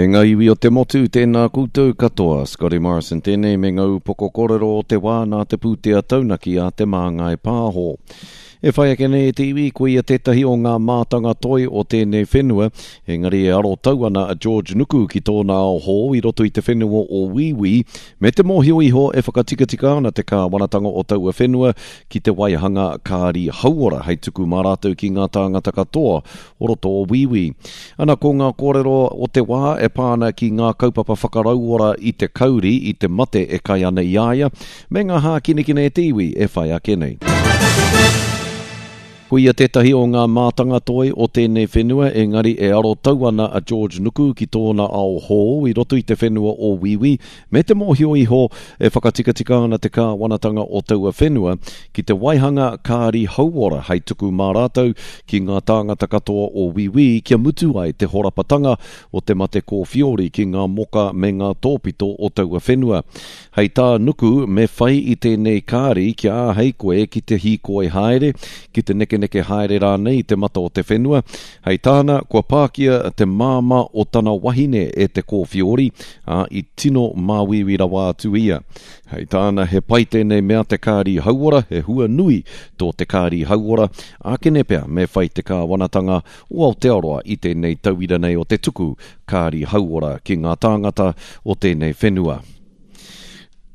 E ngā iwi o te motu, tēnā koutou katoa. Scotty Morrison tēnei me ngā upoko kōrero o te wā nā te pūtea taunaki a Te Māngai Pāho. E whai ake nei e te iwi, ko ia tētahi o ngā mātanga toi o tēnei whenua, engari e arotau ana a George Nuku ki tōna ao hou i roto i te whenua o Wīwī, me te mōhio iho e whakatikatika ana te kāwanatanga o taua whenua ki te waihanga kāri hauora hei tuku mā rātou ki ngā tāngata katoa o roto o Wīwī. Ana ko ngā kōrero o te wā e pā ana ki ngā kaupapa whakarauora i te kauri, i te mate e kai ana i a ia, me ngā hākinakina e te iwi e whai ake nei. Ko ia tētahi o ngā mātanga toi o tēnei whenua, engari e arotau ana a George Nuku ki tōna ao hou i roto i te whenua o Wīwī, me te mōhio iho e whakatikatika ana te kāwanatanga o taua whenua ki te waihanga kāri hauora hei tuku mā rātou ki ngā tāngata katoa o Wīwī kia mutu ai te horapatanga o te mate kōwhiori ki ngā moka me ngā tōpito o taua whenua. Hei tā Nuku, me whai i tēnei kāri kia āhei koe ki te hīkoi haere, ki te nekeneke haere rānei i te mata o te whenua. Hei tāna, kua pākia te māmā o tana wahine e te kōwhiori, ā, i tino māuiui rawa atu ia. Hei tāna, he pai tēnei mea te kāri hauora, he hua nui tō te kāri hauora, ākene pea me whai te kāwanatanga o Aotearoa i tēnei tauira nei o te tuku kāri hauora ki ngā tāngata o tēnei whenua.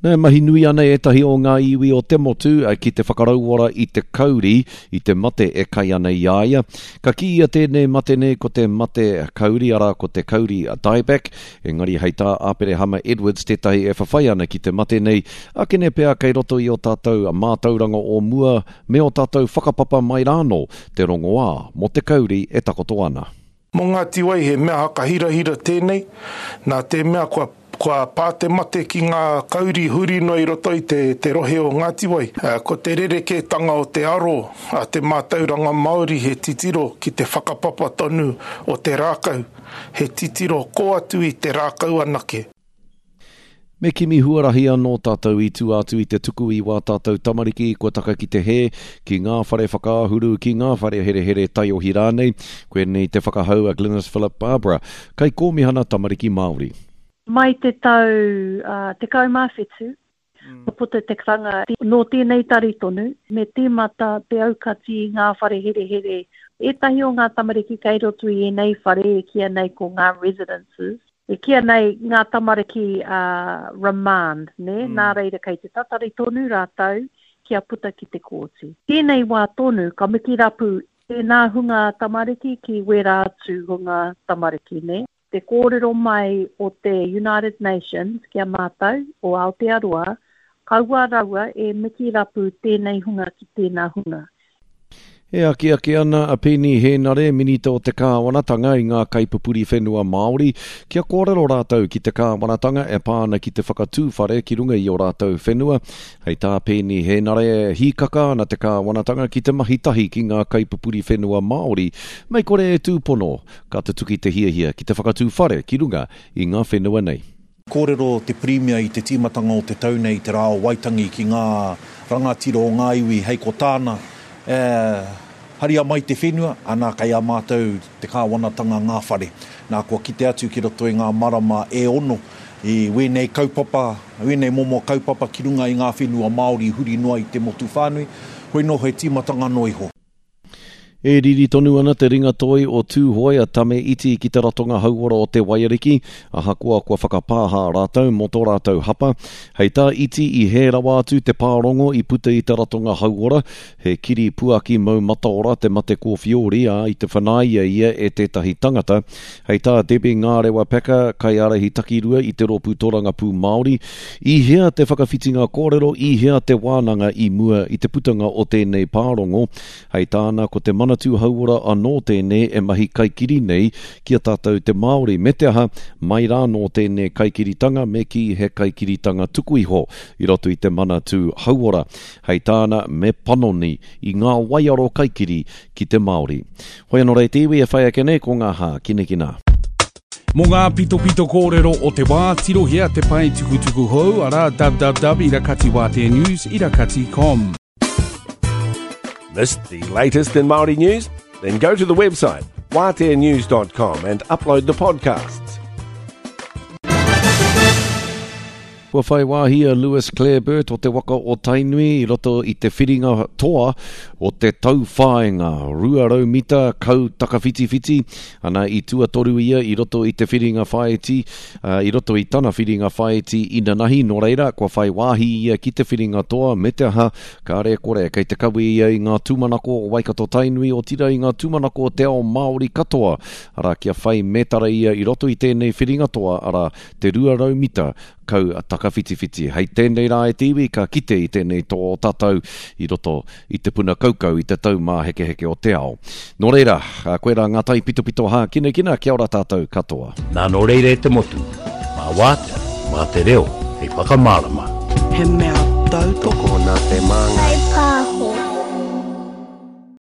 E mahi nui ana ētahi o ngā iwi o te motu ki te whakarauora i te kauri, i te mate e kai ana i a ia. Ka kīia tēnei mate nei ko te mate kauri, arā ko te kauri dieback, engari hei tā Aperehama Edwards tētahi e whawhai ana ki te mate nei, akene pea kei roto i ō tātou mātauranga o mua me ō tātou whakapapa mai rānō te rongoā mō te kauri e takoto ana. Mō Ngāti Wai he mea hakahirahira tēnei, nā te mea kua, kua pā te mate ki ngā kauri huri noa i roto i te, te rohe o Ngāti Wai. Ko te rerekētanga o te aro a te mātauranga Māori he titiro ki te whakapapa tonu o te rākau, he titiro kō atu i te rākau anake. Me kimi huarahi anō tātou i tua atu i te tuku i wā tātou tamariki kua taka ki te hē, ki ngā whare whakaahuru, ki ngā whare herehere taiohi rānei. Koinei te whakahau a Glenis Philip Barbara, Kaikōmihana Tamariki Māori. Mai te tau 17, kua puta te karanga nō tēnei tari tonu, me tīmata te aukati i ngā whare herehere. Ētahi o ngā tamariki kei roto i ēnei whare e kīia nei ko ngā residences, E kīia nei ngā tamariki a remand, nē, nā reira kei te tatari tonu rātou kia puta ki te kōti. Tēnei wā tonu ka mikirapu tēnā hunga tamariki ki wērā atu hunga tamariki, nē. Te kōrero mai o te United Nations ki a mātou, o Aotearoa, kaua raua e mikirapu tēnei hunga ki tēnā hunga. E akiaki ana a Peeni Hēnare, Minita o te Kāwanatanga i ngā kaipupuri whenua Māori, kia kōrero rātou ki te kāwanatanga e pā ana ki te whakatū whare ki runga i ō rātou whenua. Hei tā Peeni Hēnare, hīkaka ana te kāwanatanga ki te mahi tahi ki ngā kaipupuri whenua Māori, mei kore e tūpono, ka tutuki te hiahia ki te whakatū whare ki runga i ngā whenua nei. Kōrero te Pirimia i te tīmatanga o te tau nei i te Rā o Waitangi ki ngā rangatira o ngā iwi hei ko tāna, e, haria mai te whenua, ana kei a mātou te kāwanatanga ngā whare. Nā, kua kite atu ki roto i ngā marama e ono i wēnei kaupapa, wēnei momo kaupapa ki runga i ngā whenua Māori huri noa i te motu whānui, hoi nō he tīmatanga noa iho. E riri tonu ana te ringa toi o Tūhoe a Tame Iti ki te ratonga hauora o Te Waiariki, ahakoa kua whakapāha rātou mō tō rātou hapa. Hei tā Iti i hē rawa atu te pārongo i puta i te ratonga hauora, he kiri puaki mau mataora te mate kōwhiori, ā, i te whanaia ia e tētahi tangata. Hei tā Debbie Ngārewa Packer, kaiārahi takirua i te Rōpū Torangapū Māori, i hea te whakawhitinga kōrero, i hea te wānanga i mua i te putanga o tēnei pārongo? Hei tāna, ko te Manatū Hauora anō tēnei e mahi kaikiri nei ki a tātou te Māori, me te aha, mai rānō tēnei kaikiritanga me kī he kaikiritanga tuku iho i roto i te Manatū Hauora. Hei tāna, me panoni i ngā waiaro kaikiri ki te Māori. Hoi anō rei te iwi e whai ake nei ko ngā hākinakina. Mō ngā pitopito kōrero o te wā, tirohia te pae tukutuku hou, arā www irakati wāteanews irakati com. Missed the latest in Māori news? Then go to the website waateanews.com and upload the podcasts. Kua whai wāhi a Lewis Clareburt o te waka o Tainui i roto i te whiringa toa o te tauwhāinga 200 mita kau takawhitiwhiti, ana i tuatoru ia i roto i te whiringa whāiti, i roto i tana whiringa whāiti inanahi, nō reira, kua whai wāhi ia ki te whiringa toa me te aha, kāre e kore, kei te kawe ia i ngā tūmanako o Waikato-Tainui, otirā i ngā tūmanako o te ao Māori katoa, arā, kia whai mētara ia i roto i tēnei whiringa toa, arā, te 200 mita kau takawhitiwhiti. Hei tēnei rā e te iwi ka kite i tēnei toa o tātou i roto i te puna kaukau i te taumāhekeheke o te ao. Nō reira, koirā ngā taipitopito hākinakina, kia ora tātou katoa. Nā nō reira e te motu, mā Wātea, mā te reo hei whakamārama. He mea tautoko. Tokona te māngai.